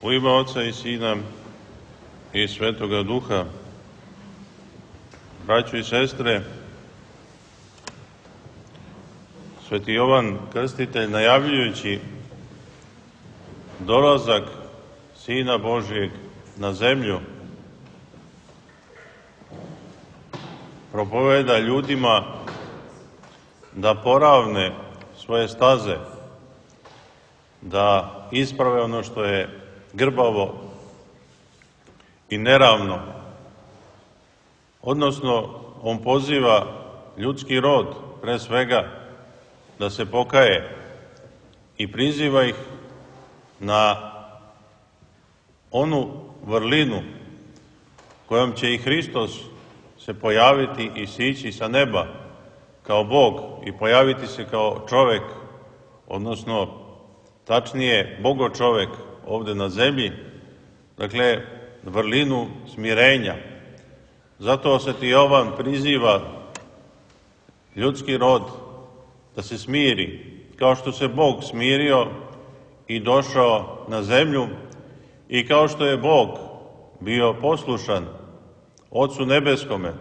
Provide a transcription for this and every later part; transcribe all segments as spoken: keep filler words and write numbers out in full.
U ime Oca i Sina i Svetoga Duha, braćo i sestre, Sveti Jovan Krstitelj, najavljujući dolazak Sina Božijeg na zemlju, propoveda ljudima da poravne svoje staze, da isprave ono što je grbavo i neravno. Odnosno, on poziva ljudski rod, pre svega, da se pokaje i priziva ih na onu vrlinu kojom će i Hristos se pojaviti i sići sa neba kao Bog i pojaviti se kao čovek, odnosno, tačnije, Bogo čovek ovde na zemlji, dakle, vrlinu smirenja. Zato Sveti Jovan priziva ljudski rod da se smiri, kao što se Bog smirio i došao na zemlju i kao što je Bog bio poslušan Ocu Nebeskome,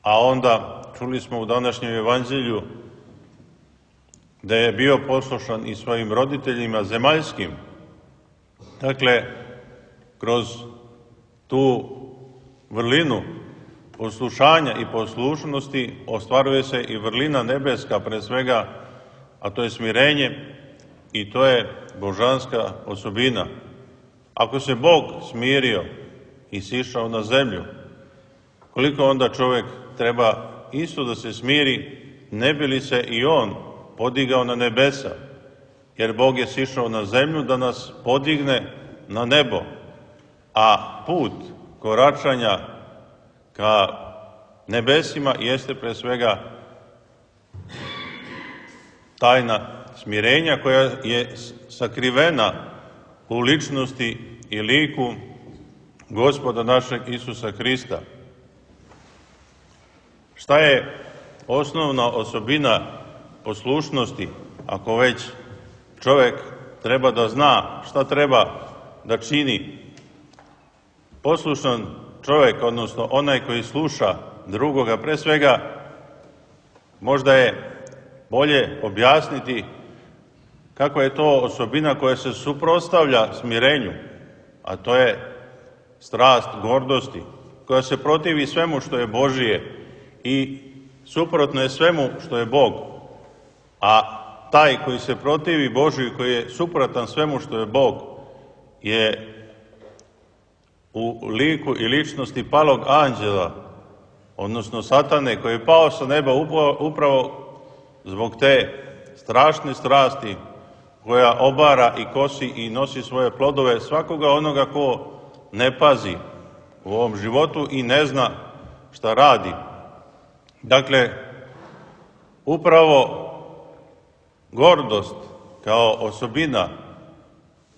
a onda čuli smo u današnjem evanđelju da je bio poslušan i svojim roditeljima zemaljskim. Dakle, kroz tu vrlinu poslušanja i poslušnosti ostvaruje se i vrlina nebeska pre svega, a to je smirenje i to je božanska osobina. Ako se Bog smirio i sišao na zemlju, koliko onda čovek treba isto da se smiri, ne bi li se i on podigao na nebesa, jer Bog je sišao na zemlju da nas podigne na nebo, a put koračanja ka nebesima jeste pre svega tajna smirenja koja je sakrivena u ličnosti i liku Gospoda našeg Isusa Hrista. Šta je osnovna osobina poslušnosti, ako već čovek treba da zna šta treba da čini? Poslušan čovek, odnosno onaj koji sluša drugoga, pre svega možda je bolje objasniti kako je to osobina koja se suprotstavlja smirenju, a to je strast gordosti, koja se protivi svemu što je Božije i suprotno je svemu što je Bog. A taj koji se protivi Božiju, koji je suprotan svemu što je Bog, je u liku i ličnosti palog anđela, odnosno satane, koji je pao sa neba upravo zbog te strašne strasti koja obara i kosi i nosi svoje plodove svakoga onoga ko ne pazi u ovom životu i ne zna šta radi. Dakle, upravo gordost kao osobina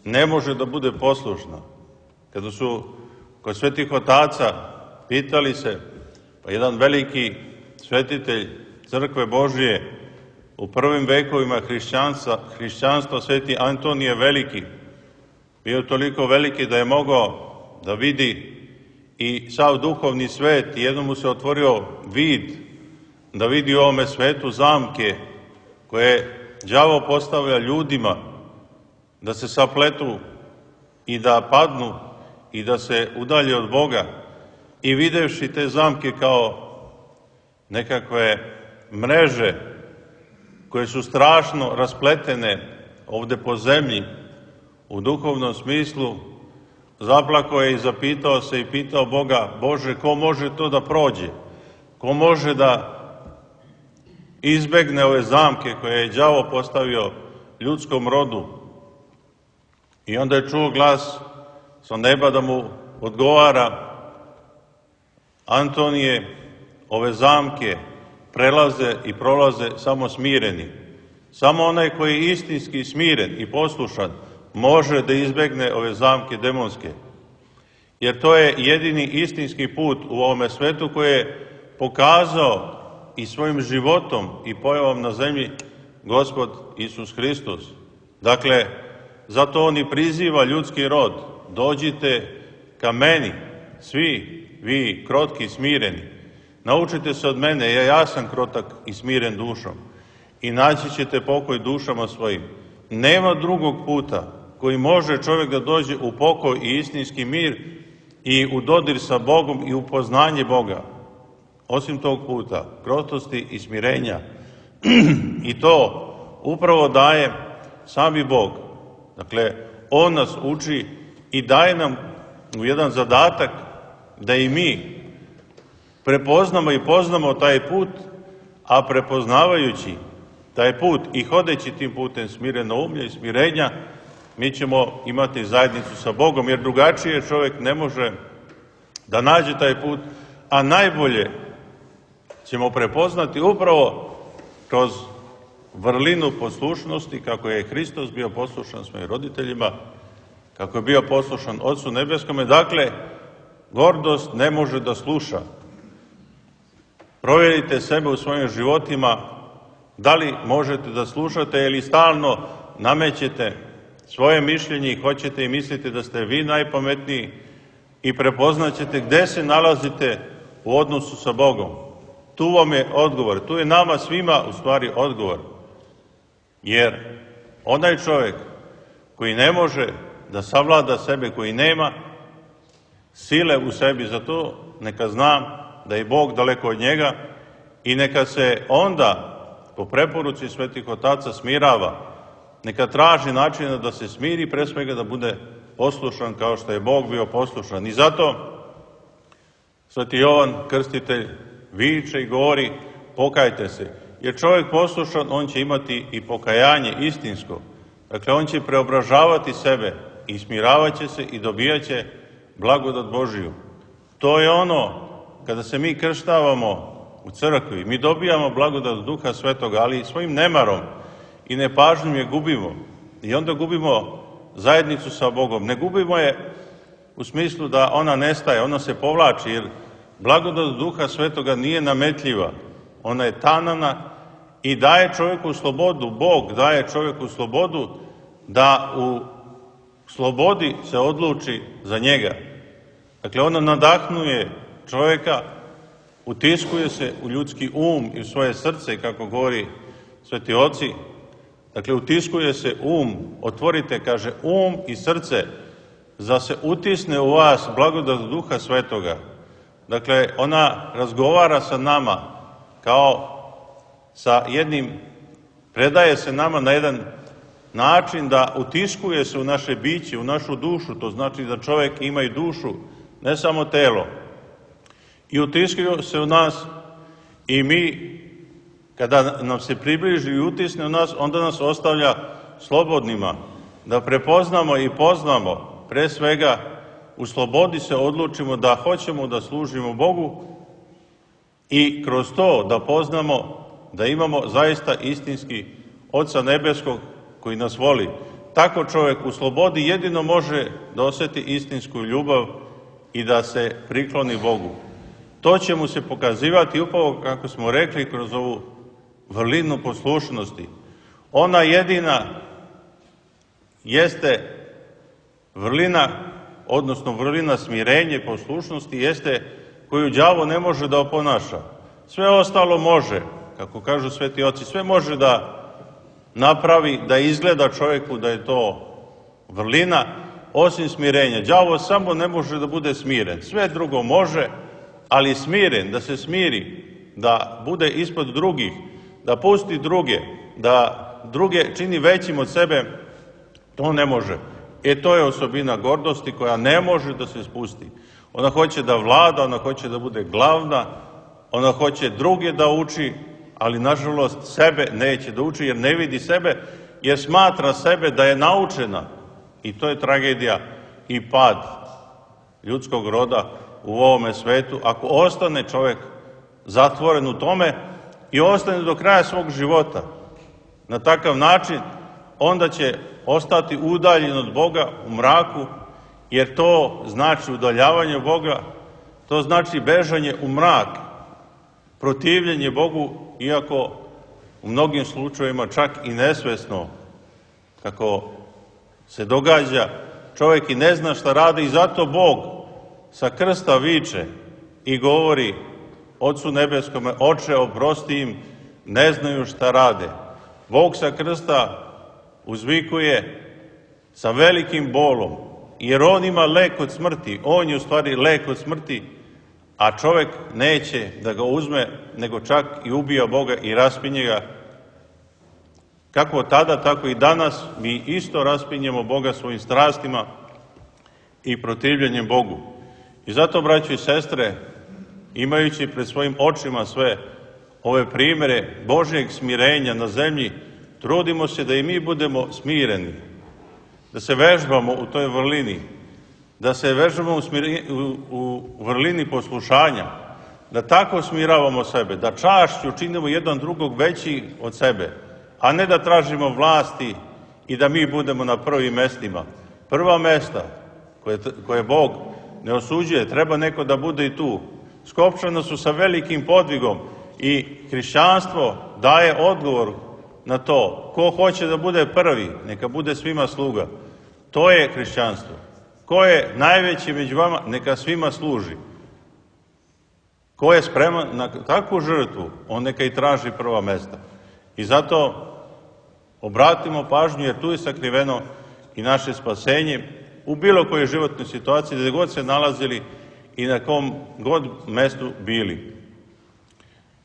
ne može da bude poslušna. Kada su kod svetih otaca pitali se, pa jedan veliki svetitelj Crkve Božije u prvim vekovima hrišćanstva, hrišćanstva sveti Antonije Veliki, bio toliko veliki da je mogao da vidi i sav duhovni svet i jednom mu se otvorio vid da vidi u ovome svetu zamke koje đavo postavlja ljudima da se sapletu i da padnu i da se udalje od Boga, i videvši te zamke kao nekakve mreže koje su strašno raspletene ovde po zemlji u duhovnom smislu, zaplakao je i zapitao se i pitao Boga: Bože, ko može to da prođe? Ko može da izbegne ove zamke koje je đavo postavio ljudskom rodu? I onda je čuo glas sa neba da mu odgovara: Antonije, ove zamke prelaze i prolaze samo smireni. Samo onaj koji je istinski smiren i poslušan može da izbegne ove zamke demonske. Jer to je jedini istinski put u ovome svetu koji je pokazao i svojim životom i pojavom na zemlji Gospod Isus Hristos. Dakle, zato on i priziva ljudski rod. Dođite ka meni, svi vi krotki i smireni. Naučite se od mene, ja, ja sam krotak i smiren dušom. I naći ćete pokoj dušama svojim. Nema drugog puta koji može čovjek da dođe u pokoj i istinski mir i u dodir sa Bogom i u poznanje Boga. Osim tog puta, krotosti i smirenja. I to upravo daje sami Bog. Dakle, on nas uči i daje nam u jedan zadatak da i mi prepoznamo i poznamo taj put, a prepoznavajući taj put i hodeći tim putem smirenoumlja i smirenja, mi ćemo imati zajednicu sa Bogom, jer drugačije čovjek ne može da nađe taj put, a najbolje ćemo prepoznati upravo kroz vrlinu poslušnosti, kako je Hristos bio poslušan svojim roditeljima, kako je bio poslušan Otcu Nebeskome. Dakle, gordost ne može da sluša. Provjerite sebe u svojim životima, da li možete da slušate ili stalno namećete svoje mišljenje i hoćete i mislite da ste vi najpametniji i prepoznaćete gde se nalazite u odnosu sa Bogom. Tu vam je odgovor, tu je nama svima u stvari odgovor. Jer onaj čovjek koji ne može da savlada sebe, koji nema sile u sebi za to, neka zna da je Bog daleko od njega i neka se onda po preporuci svetih otaca smirava, neka traži načina da se smiri, pre svega da bude poslušan kao što je Bog bio poslušan. I zato sveti Jovan Krstitelj viče i govori: pokajte se. Jer čovjek poslušan, on će imati i pokajanje istinsko. Dakle, on će preobražavati sebe i smiravaće se i dobijaće blagodat Božiju. To je ono, kada se mi krštavamo u crkvi, mi dobijamo blagodat Duha Svetoga, ali svojim nemarom i nepažnjom je gubimo. I onda gubimo zajednicu sa Bogom. Ne gubimo je u smislu da ona nestaje, ona se povlači, jer blagodat Duha Svetoga nije nametljiva. Ona je tanana i daje čovjeku slobodu. Bog daje čovjeku slobodu da u slobodi se odluči za njega. Dakle, ona nadahnuje čovjeka, utiskuje se u ljudski um i u svoje srce, kako govori sveti oci. Dakle, utiskuje se um, otvorite, kaže, um i srce, da se utisne u vas blagodat Duha Svetoga. Dakle, ona razgovara sa nama kao sa jednim, predaje se nama na jedan način da utiskuje se u naše biće, u našu dušu. To znači da čovjek ima i dušu, ne samo telo. I utiskuje se u nas i mi, kada nam se približi i utisne u nas, onda nas ostavlja slobodnima, da prepoznamo i poznamo, pre svega u slobodi se odlučimo da hoćemo da služimo Bogu i kroz to da poznamo da imamo zaista istinski Oca Nebeskog koji nas voli. Tako čovjek u slobodi jedino može da osjeti istinsku ljubav i da se prikloni Bogu. To će mu se pokazivati upravo, kako smo rekli, kroz ovu vrlinu poslušnosti. Ona jedina jeste vrlina, odnosno vrlina smirenje, poslušnosti, jeste koju đavo ne može da oponaša. Sve ostalo može, kako kažu sveti oci, sve može da napravi, da izgleda čovjeku da je to vrlina, osim smirenja. Đavo samo ne može da bude smiren. Sve drugo može, ali smiren, da se smiri, da bude ispod drugih, da pusti druge, da druge čini većim od sebe, to ne može. E to je osobina gordosti koja ne može da se spusti. Ona hoće da vlada, ona hoće da bude glavna, ona hoće druge da uči, ali nažalost sebe neće da uči jer ne vidi sebe, jer smatra sebe da je naučena. I to je tragedija i pad ljudskog roda u ovome svetu. Ako ostane čovjek zatvoren u tome i ostane do kraja svog života na takav način, onda će ostati udaljen od Boga u mraku, jer to znači udaljavanje od Boga, to znači bežanje u mrak, protivljenje Bogu, iako u mnogim slučajevima čak i nesvesno, kako se događa, čovjek i ne zna šta radi i zato Bog sa krsta viče i govori Ocu nebeskome, Oče, oprosti im, ne znaju šta rade. Bog sa krsta uzvikuje sa velikim bolom, jer on ima lek od smrti, on je u stvari lek od smrti, a čovjek neće da ga uzme, nego čak i ubija Boga i raspinje ga. Kako tada, tako i danas mi isto raspinjemo Boga svojim strastima i protivljenjem Bogu. I zato, braćo i sestre, imajući pred svojim očima sve ove primere Božjeg smirenja na zemlji, trudimo se da i mi budemo smireni, da se vežbamo u toj vrlini, da se vežbamo u, smiri, u, u vrlini poslušanja, da tako smiravamo sebe, da čašću činimo jedan drugog veći od sebe, a ne da tražimo vlasti i da mi budemo na prvim mestima. Prva mesta koje, koje Bog ne osuđuje, treba neko da bude i tu. Skopčana su sa velikim podvigom i hrišćanstvo daje odgovor na to. Ko hoće da bude prvi, neka bude svima sluga. To je hrišćanstvo. Ko je najveći među vama, neka svima služi. Ko je spreman na takvu žrtvu, on neka i traži prva mesta. I zato obratimo pažnju, jer tu je sakriveno i naše spasenje u bilo kojoj životnoj situaciji, gde god se nalazili i na kom god mestu bili.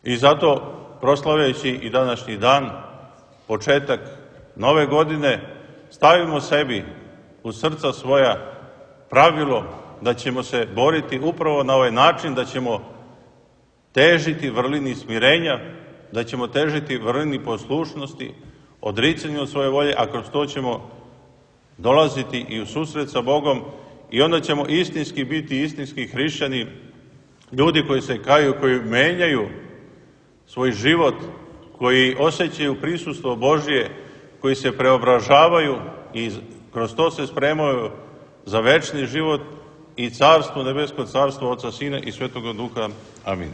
I zato, proslavljajući i današnji dan, početak nove godine, stavimo sebi u srca svoja pravilo da ćemo se boriti upravo na ovaj način, da ćemo težiti vrlini smirenja, da ćemo težiti vrlini poslušnosti, odricanju od svoje volje, a kroz to ćemo dolaziti i u susret sa Bogom i onda ćemo istinski biti istinski hrišćani, ljudi koji se kaju, koji menjaju svoj život, koji osjećaju prisustvo Božje, koji se preobražavaju i kroz to se spremaju za večni život i carstvo, nebesko carstvo Oca, Sina i Svetoga Duha. Amin.